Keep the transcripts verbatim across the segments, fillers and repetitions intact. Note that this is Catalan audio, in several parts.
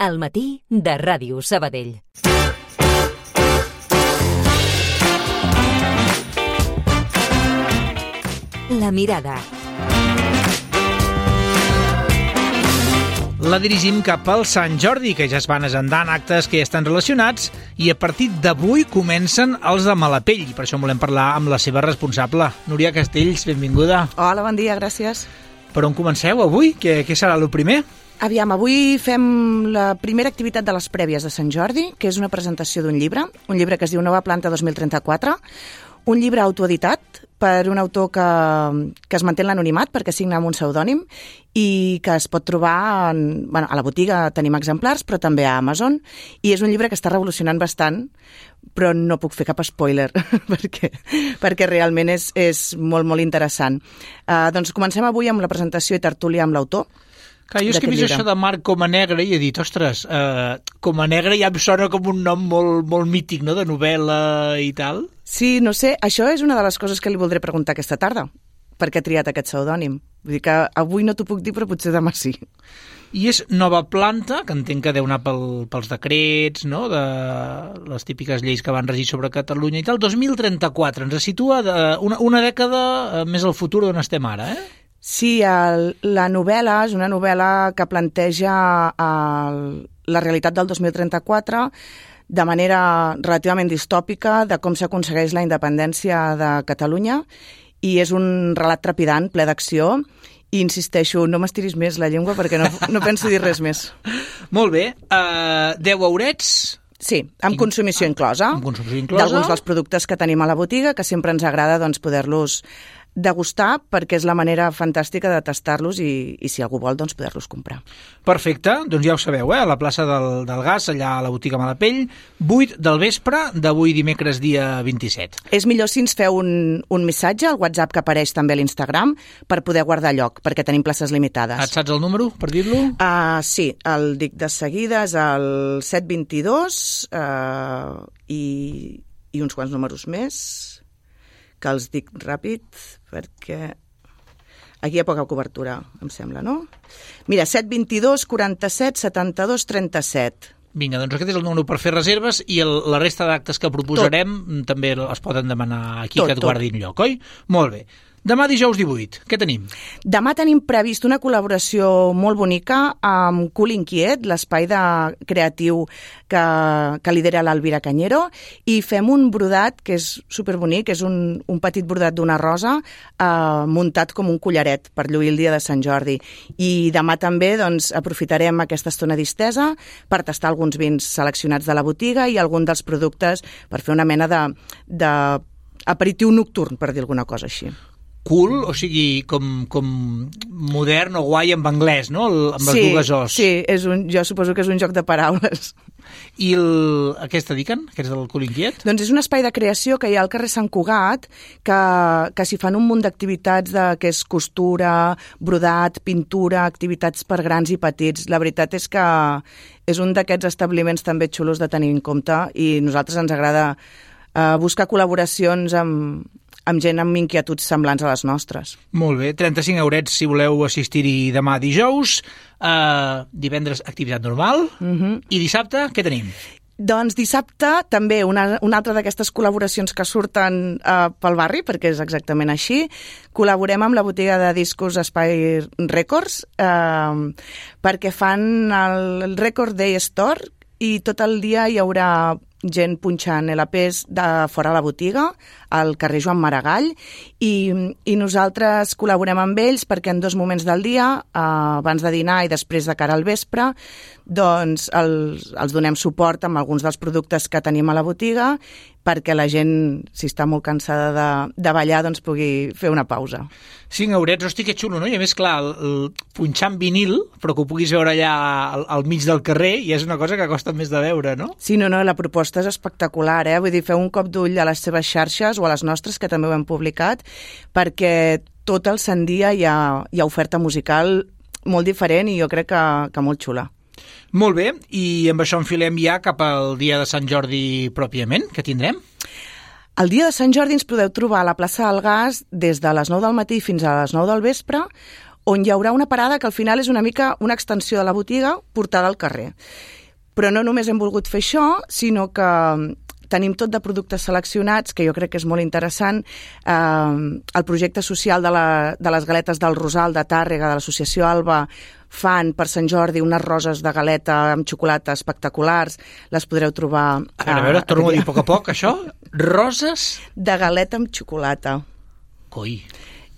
al matí de Ràdio Sabadell. La mirada. La dirigim cap al Sant Jordi, que ja es van agendant actes que ja estan relacionats, i a partir d'avui comencen els de Malapell, i per això volem parlar amb la seva responsable. Núria Castells, benvinguda. Hola, bon dia, gràcies. Per on comenceu avui? Què, què serà el primer? Aviam, avui fem la primera activitat de les prèvies de Sant Jordi, que és una presentació d'un llibre, un llibre que es diu Nova Planta dos mil trenta-quatre, un llibre autoeditat per un autor que, que es manté en l'anonimat perquè signa amb un pseudònim i que es pot trobar en, bueno, a la botiga, tenim exemplars, però també a Amazon, i és un llibre que està revolucionant bastant, però no puc fer cap spoiler perquè, perquè realment és, és molt, molt interessant. Uh, doncs comencem avui amb la presentació i tertúlia amb l'autor. Clar, jo és que he vist això de Marc Comanegre i he dit, ostres, eh, Comanegre ja em sona com un nom molt, molt mític, no?, de novel·la i tal. Sí, no sé, això és una de les coses que li voldré preguntar aquesta tarda, per què ha triat aquest pseudònim. Vull dir que avui no t'ho puc dir, però potser demà sí. I és Nova Planta, que entenc que deu anar pel, pels decrets, no?, de les típiques lleis que van regir sobre Catalunya i tal. dos mil trenta-quatre, ens situa de una, una dècada més al futur d'on estem ara, eh? Sí, el, la novel·la és una novel·la que planteja el, la realitat del dos mil trenta-quatre de manera relativament distòpica de com s'aconsegueix la independència de Catalunya, i és un relat trepidant, ple d'acció, i insisteixo, no m'estiris més la llengua perquè no, no penso dir res més. Molt bé, uh, deu eurets... Sí, amb consumició inclosa, amb consumició inclosa d'alguns dels productes que tenim a la botiga, que sempre ens agrada doncs, poder-los degustar, perquè és la manera fantàstica de tastar-los i, i si algú vol, doncs poder-los comprar. Perfecte, doncs ja ho sabeu, eh? A la plaça del, del Gas, allà a la botiga Malapell, vuit del vespre d'avui dimecres dia vint-i-set. És millor si ens feu un, un missatge al WhatsApp que apareix també a l'Instagram per poder guardar lloc, perquè tenim places limitades. Et saps el número, per dir-lo? Uh, sí, el dic de seguida, és el set dos dos uh, i, i uns quants números més, que els dic ràpid, perquè aquí hi ha poca cobertura, em sembla, no? Mira, set dos dos, quaranta-set, setanta-dos, trenta-set. Vinga, doncs aquest és el número per fer reserves i el, la resta d'actes que proposarem tot. També es poden demanar aquí, tot, que et guardin tot. Lloc, oi? Molt bé. Demà dijous divuit, què tenim? Demà tenim previst una col·laboració molt bonica amb Cool Inquiet, l'espai de creatiu que, que lidera l'Alvira Cañero, i fem un brodat que és superbonic, és un, un petit brodat d'una rosa eh, muntat com un collaret per lluir el dia de Sant Jordi. I demà també doncs, aprofitarem aquesta estona distesa per tastar alguns vins seleccionats de la botiga i algun dels productes per fer una mena de, de aperitiu nocturn, per dir alguna cosa així. Cool, o sigui, com, com modern o guai en anglès, no? El, amb les sí, dues os. Sí, és un, jo suposo que és un joc de paraules. I el, a què es dediquen, aquests del Cool Inquiet? Doncs és un espai de creació que hi ha al carrer Sant Cugat, que, que s'hi fan un munt d'activitats de, que és costura, brodat, pintura, activitats per grans i petits. La veritat és que és un d'aquests establiments també xulos de tenir en compte i a nosaltres ens agrada eh, buscar col·laboracions amb amb gent amb inquietuds semblants a les nostres. Molt bé, trenta-cinc eurets si voleu assistir-hi demà dijous, uh, divendres activitat normal, uh-huh. I dissabte què tenim? Doncs dissabte també una, una altra d'aquestes col·laboracions que surten uh, pel barri, perquè és exactament així. Col·laborem amb la botiga de discos Espai Records uh, perquè fan el Record Day Store i tot el dia hi haurà gent punxant L Ps de fora a la botiga, al carrer Joan Maragall, i, i nosaltres col·laborem amb ells perquè en dos moments del dia, eh, abans de dinar i després de cara al vespre, doncs els, els donem suport amb alguns dels productes que tenim a la botiga perquè la gent, si està molt cansada de, de ballar, doncs pugui fer una pausa. Cinc eurets, hosti, que xulo, no? I a més, clar, el, el punxant vinil, però que ho puguis veure allà al, al mig del carrer, i és una cosa que costa més de veure, no? Sí, no, no, la proposta és espectacular, eh? Vull dir, feu un cop d'ull a les seves xarxes o a les nostres, que també ho hem publicat, perquè tot el sant dia hi ha, hi ha oferta musical molt diferent i jo crec que, que molt xula. Molt bé, i amb això enfilem ja cap al dia de Sant Jordi pròpiament. Què tindrem? El dia de Sant Jordi ens podeu trobar a la plaça del Gas des de les nou del matí fins a les nou del vespre, on hi haurà una parada que al final és una mica una extensió de la botiga portada al carrer. Però no només hem volgut fer això, sinó que tenim tot de productes seleccionats, que jo crec que és molt interessant. Eh, el projecte social de, la, de les galetes del Rosal de Tàrrega, de l'associació Alba, fan per Sant Jordi unes roses de galeta amb xocolata espectaculars. Les podreu trobar... A veure, a veure, torno a dir a poc a poc, això. Roses? De galeta amb xocolata. Coi.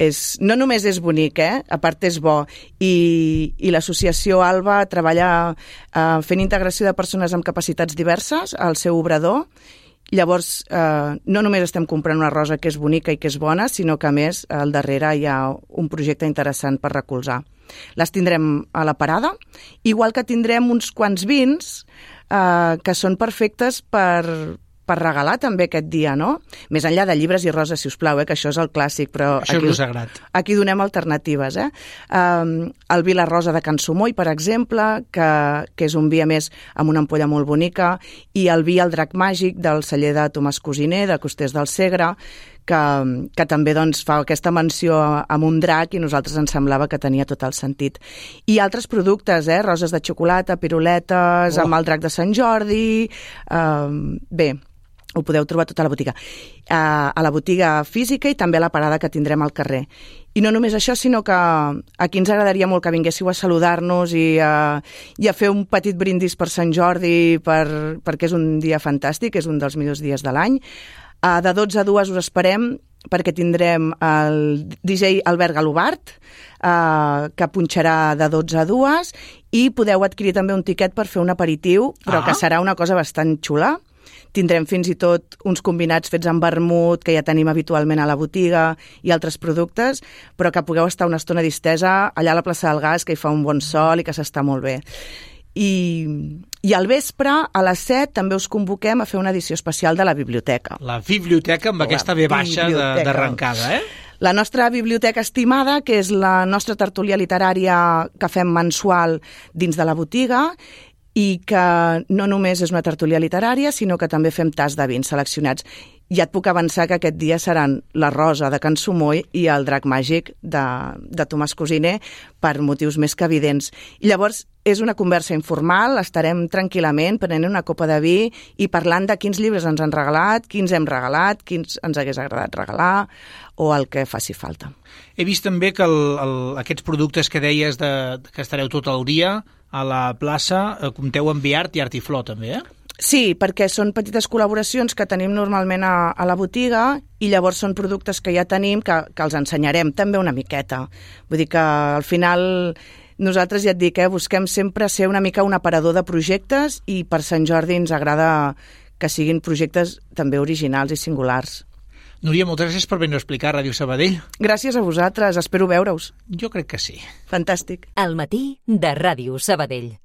És, no només és bonic, eh? A part és bo. I, i l'associació Alba treballa eh, fent integració de persones amb capacitats diverses al seu obrador. Llavors, eh, no només estem comprant una rosa que és bonica i que és bona, sinó que, a més, al darrere hi ha un projecte interessant per recolzar. Les tindrem a la parada, igual que tindrem uns quants vins eh, que són perfectes per, per regalar també aquest dia, no? Més enllà de llibres i roses, si us plau, eh, que això és el clàssic, però això aquí, és el sagrat. Aquí donem alternatives. Eh? Um, el vi La Rosa de Can Sumoy, per exemple, que, que és un vi, a més, amb una ampolla molt bonica, i el vi El Drac Màgic del celler de Tomàs Cosiner, de Costers del Segre, que, que també doncs, fa aquesta menció amb un drac i a nosaltres ens semblava que tenia tot el sentit. I altres productes, eh? Roses de xocolata, piruletes, oh. amb el drac de Sant Jordi... Um, bé, ho podeu trobar tota la botiga. Uh, a la botiga física i també a la parada que tindrem al carrer. I no només això, sinó que aquí ens agradaria molt que vinguéssiu a saludar-nos i, uh, i a fer un petit brindis per Sant Jordi, per, perquè és un dia fantàstic, és un dels millors dies de l'any. Uh, de dotze a dues us esperem perquè tindrem el D J Albert Galobart, uh, que punxarà de dotze a dues, i podeu adquirir també un tiquet per fer un aperitiu, però ah. que serà una cosa bastant xula. Tindrem fins i tot uns combinats fets amb vermut, que ja tenim habitualment a la botiga, i altres productes, però que pugueu estar una estona distesa allà a la plaça del Gas, que hi fa un bon sol i que s'està molt bé. I, i al vespre, a les set, també us convoquem a fer una edició especial de la biblioteca. La biblioteca amb la aquesta ve baixa d'arrencada, eh? La nostra biblioteca estimada, que és la nostra tertúlia literària que fem mensual dins de la botiga, i que no només és una tertúlia literària, sinó que també fem tas de vins seleccionats. Ja et puc avançar que aquest dia seran la Rosa de Can Sumoy i el Drac Màgic de, de Tomàs Cosiner, per motius més que evidents. I llavors és una conversa informal, estarem tranquil·lament prenent una copa de vi i parlant de quins llibres ens han regalat, quins hem regalat, quins ens hagués agradat regalar o el que faci falta. He vist també que el, el, aquests productes que deies de, que estareu tot el dia a la plaça, eh, compteu amb Viart i Art i Flor també, eh? Sí, perquè són petites col·laboracions que tenim normalment a, a la botiga i llavors són productes que ja tenim que, que els ensenyarem també una miqueta. Vull dir que al final nosaltres ja et dic, eh, busquem sempre ser una mica un aparador de projectes i per Sant Jordi ens agrada que siguin projectes també originals i singulars. Núria, moltes gràcies per venir a explicar a Ràdio Sabadell. Gràcies a vosaltres, espero veure-us. Jo crec que sí. Fantàstic. Al matí de Ràdio Sabadell.